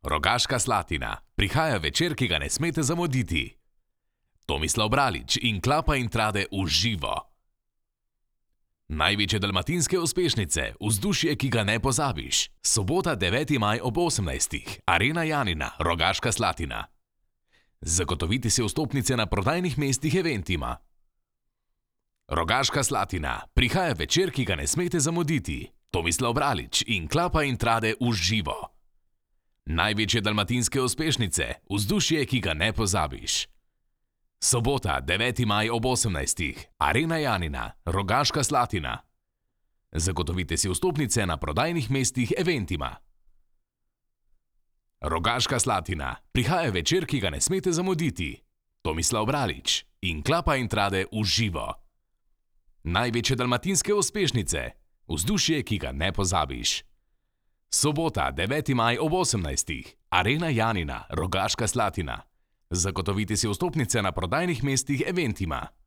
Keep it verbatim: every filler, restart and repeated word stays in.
Rogaška Slatina. Prihaja večer, ki ga ne smete zamuditi. Tomislav Bralič in Klapa in Trade v živo. Največje dalmatinske uspešnice, vzdušje, ki ga ne pozabiš. Sobota, deveti maj ob osemnajstih. Arena Janina, Rogaška Slatina. Zagotovite si vstopnice na prodajnih mestih Eventima. Rogaška Slatina. Prihaja večer, ki ga ne smete zamuditi. Tomislav Bralič in Klapa in Trade v živo. Največje dalmatinske uspešnice, vzdušje, ki ga ne pozabiš. Sobota, deveti maj ob osemnajstih. Arena Janina, Rogaška Slatina. Zagotovite si vstopnice na prodajnih mestih Eventima. Rogaška Slatina. Prihaja večer, ki ga ne smete zamuditi. Tomislav Bralič in Klapa in Trade v živo. Največje dalmatinske uspešnice, vzdušje, ki ga ne pozabiš. Sobota, deveti maj ob osemnajstih. Arena Janina, Rogaška Slatina. Zagotovite si vstopnice na prodajnih mestih Eventima.